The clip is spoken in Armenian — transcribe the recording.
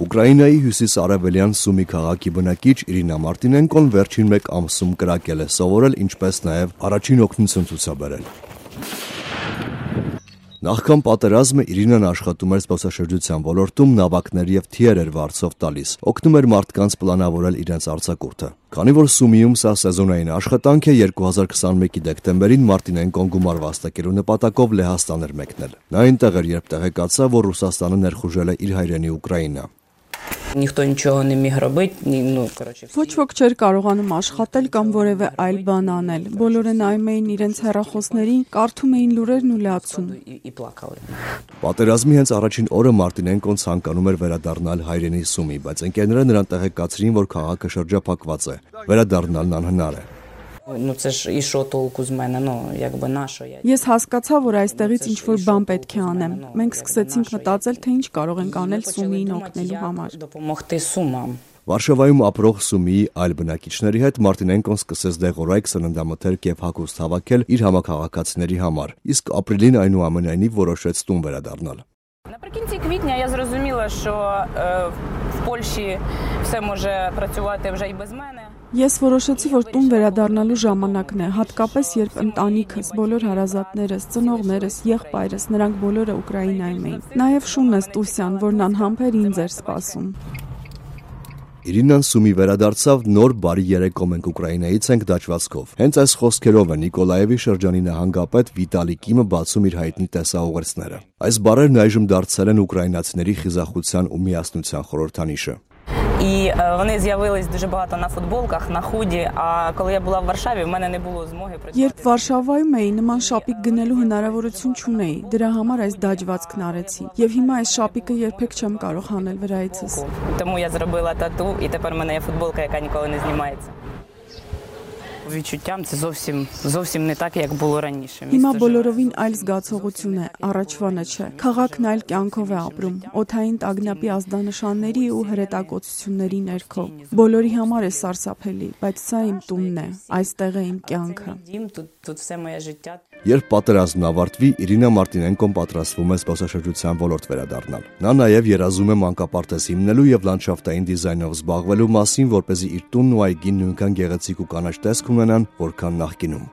Ուկրաինայի հյուսիս-արևելյան Սումի քաղաքի բնակիչ Իրինա Մարտինենկոն վերջին 1 ամսում կրակել է սովորել, ինչպես նաև առաջին օգնություն ցուցաբերել։ Նախքան պատերազմը Իրինան աշխատում էր զբոսաշրջության ոլորտում, նավակներ եւ թիեր էր վարձով տալիս, օգնում էր մարդկանց պլանավորել իրենց արձակուրդը։ Քանի որ Սումիում սա սեզոնային աշխատանք է, 2021-ի դեկտեմբերին Մարտինենկոն գումար վաստակելու նպատակով Լեհաստան էր մեկնել։ Նա այնտեղ էր, երբ տեղեկացավ, որ Ռուսաստանը ներխուժել է իր հայրենի Ուկրաինա։ Ніхто нічого не міг робити, Ոչ ոք չէր կարողանում աշխատել կամ որևէ այլ բան անել։ Բոլորը նայում էին իրենց հեռախոսներին, կարդում էին լուրերն ու լացում։ і плакали. Պատերազմի հենց առաջին օրը Մարտինենկոն ցանկանում էր վերադառնալ հայրենի Սումի, բայց ընկերները նրան տեղեկացրին, որ քաղաքը շրջափակված է։ Վերադառնալն անհնար է։ Це ж і що толку з мене, якби на що я. Ես հասկացա, որ այստեղից ինչ-որ բան պետք է անեմ։ Մենք սկսեցինք մտածել, թե ինչ կարող ենք անել Սումիին օգնելու համար։ Допомогти Сумам. Վարշավայում ապրող Սումիի այլ բնակիչների հետ Մարտինենկոն սկսեց դեղորայք սննդամթերք եւ հագուստ հավաքել իր համակարգացիների համար, իսկ ապրիլին այնուամենայնիվ որոշեց տուն վերադառնալ։ Наприкінці квітня я зрозуміла, що в Польщі все може працювати вже і без мене. Ես որոշեցի, որ տուն վերադառնալու ժամանակն է, հատկապես երբ ընտանիքս, բոլոր հարազատներս, ծնողներս, եղբայրս, նրանք բոլորը Ուկրաինայում էին։ Նաև Շունես Տուսյան, որն անհամբեր ինձ էր սպասում։ Իրինան Սումի վերադարձավ, նոր բարի երեկո մենք Ուկրաինայից ենք դաջվածքով։ Հենց այս խոսքերով է Նիկոլաևի շրջանի նահանգապետ Վիտալի Կիմը բացում իր հայտնի տեսաուղերձները։ Այս բառերն այժմ դարձել են ուկրաինացիների խիզախության ու միասնության խորհրդանիշը։ І вони з'явились дуже багато на футболках, на худі, а коли я була в Варшаві, в мене не було змоги працювати. Երբ Վարշավայում էի, նման շապիկ գնելու հնարավորություն չունեի։ Դրա համար այս դաջվածքն արեցի։ Եվ հիմա այս շապիկը երբեք չեմ կարող հանել վրայիցս։ Тому я зробила тату, і тепер в мене є футболка, яка ніколи не знімається. Відчуттям це зовсім не так, як було раніше. Հիմա բոլորովին այլ զգացողություն է, առաջվանը չէ։ Քաղաքն այլ կյանքով է ապրում, օդային տագնապի ազդանշանների ու հրետակոծությունների ներքո։ Բոլորի համար է սարսափելի, բայց սա իմ տունն է, այստեղ է իմ կյանքը։ Тут все моє життя. Երբ պատերազմն ավարտվի, Իրինա Մարտինենկոն պատրաստվում է զբոսաշրջության ոլորտ վերադառնալ։ Նա նաև երազում է մանկապարտեզ հիմնելու եւ լանդշաֆտային դիզայնով զբաղվելու մասին, որպեսզի իր տունն ու այգին նույնքան գեղեցիկ ու կանաչ տեսք ունենան, որքան նախկինում։